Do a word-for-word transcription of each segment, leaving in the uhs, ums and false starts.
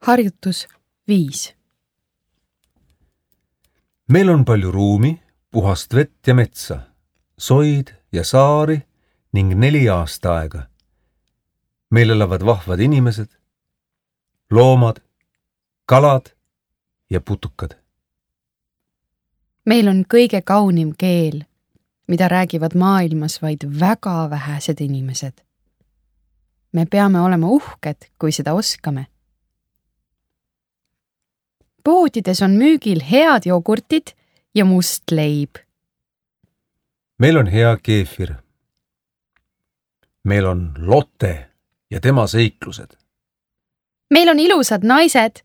Harjutus viis. Meil on palju ruumi, puhast vett ja metsa, soid ja saari ning neli aastaaega. Meil elavad vahvad inimesed, loomad, kalad ja putukad. Meil on kõige kaunim keel, mida räägivad maailmas vaid väga vähesed inimesed. Me peame olema uhked, kui seda oskame. Poodides on müügil head jogurtid ja must leib. Meil on hea keefir. Meil on Lotte ja tema seiklused. Meil on ilusad naised.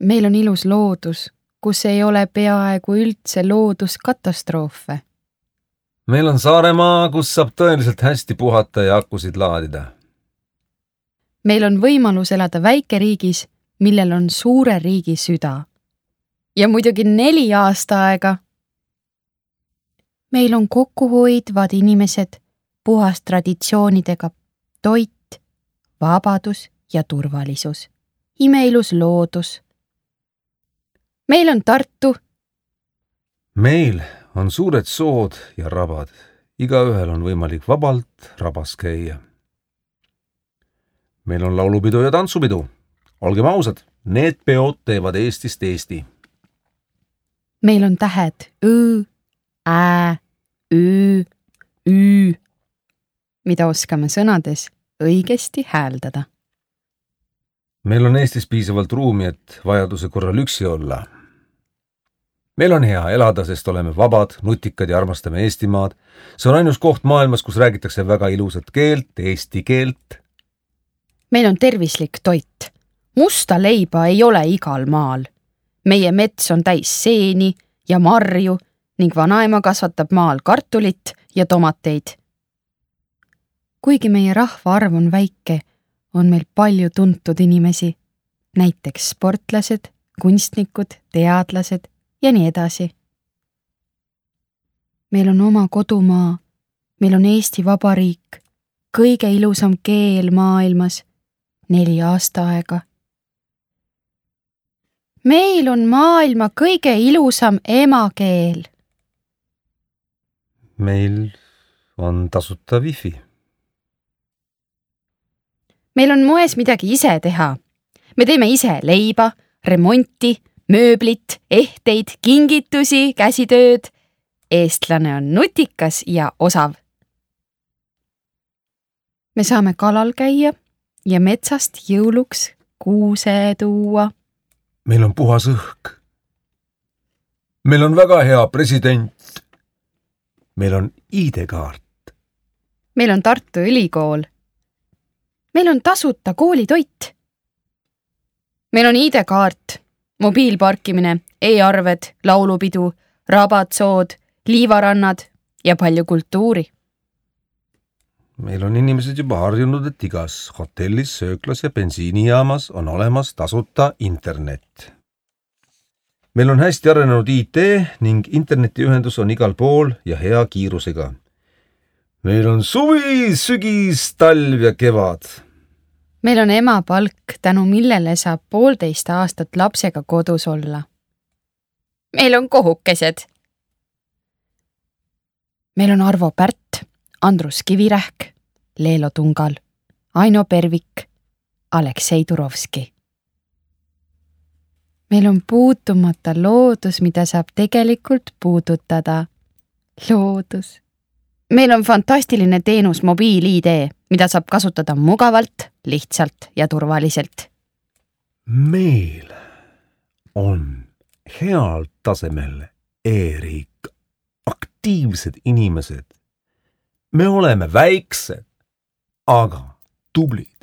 Meil on ilus loodus, kus ei ole peaaegu üldse looduskatastroofe. Meil on Saaremaa, kus saab tõeliselt hästi puhata ja akusid laadida. Meil on võimalus elada väikeriigis, millel on suure riigi süda. Ja muidugi neli aastaaega. Meil on kokkuhoidvad inimesed, puhas traditsioonidega, toit, vabadus ja turvalisus, imeilus loodus. Meil on Tartu. Meil on suured sood ja rabad. Igaühel on võimalik vabalt rabas käia. Meil on laulupidu ja tantsupidu. Olgem ausad, need peod teevad Eestist Eesti. Meil on tähed Õ, Ä, Ö, Ü, mida oskame sõnades õigesti hääldada. Meil on Eestis piisavalt ruumi, et vajaduse korral üksi olla. Meil on hea elada, sest oleme vabad, nutikad ja armastame Eestimaad. See on ainus koht maailmas, kus räägitakse väga ilusat keelt, eesti keelt. Meil on tervislik toit. Musta leiba ei ole igal maal. Meie mets on täis seeni ja marju ning vanaema kasvatab maal kartulit ja tomateid. Kuigi meie rahvaarv on väike, on meil palju tuntud inimesi, näiteks sportlased, kunstnikud, teadlased ja nii edasi. Meil on oma kodumaa, meil on Eesti Vabariik, kõige ilusam keel maailmas, neli aastaaega. Meil on maailma kõige ilusam emakeel. Meil on tasuta wifi. Meil on moes midagi ise teha. Me teeme ise leiba, remonti, mööblit, ehteid, kingitusi, käsitööd. Eestlane on nutikas ja osav. Me saame kalal käia ja metsast jõuluks kuuse tuua. Meil on puhas õhk. Meil on väga hea president. Meil on I D-kaart. Meil on Tartu Ülikool. Meil on tasuta koolitoit. Meil on I D-kaart, mobiilparkimine, e-arved, laulupidu, rabatsood, liivarannad ja palju kultuuri. Meil on inimesed juba harjunud, et igas hotellis, sööklas ja bensiinijaamas on olemas tasuta internet. Meil on hästi arenenud I T ning internetiühendus on igal pool ja hea kiirusega. Meil on suvi, sügis, talv ja kevad. Meil on ema palk, tänu millele saab poolteist aastat lapsega kodus olla. Meil on kohukesed. Meil on Arvo Pärt, Andrus Kivirähk, Leelo Tungal, Aino Pervik, Aleksei Turovski. Meil on puutumata loodus, mida saab tegelikult puudutada. Loodus. Meil on fantastiline teenus mobiil-I D, mida saab kasutada mugavalt, lihtsalt ja turvaliselt. Meil on heal tasemel e-riik, aktiivsed inimesed. Me oleme väiksed, aga tublid.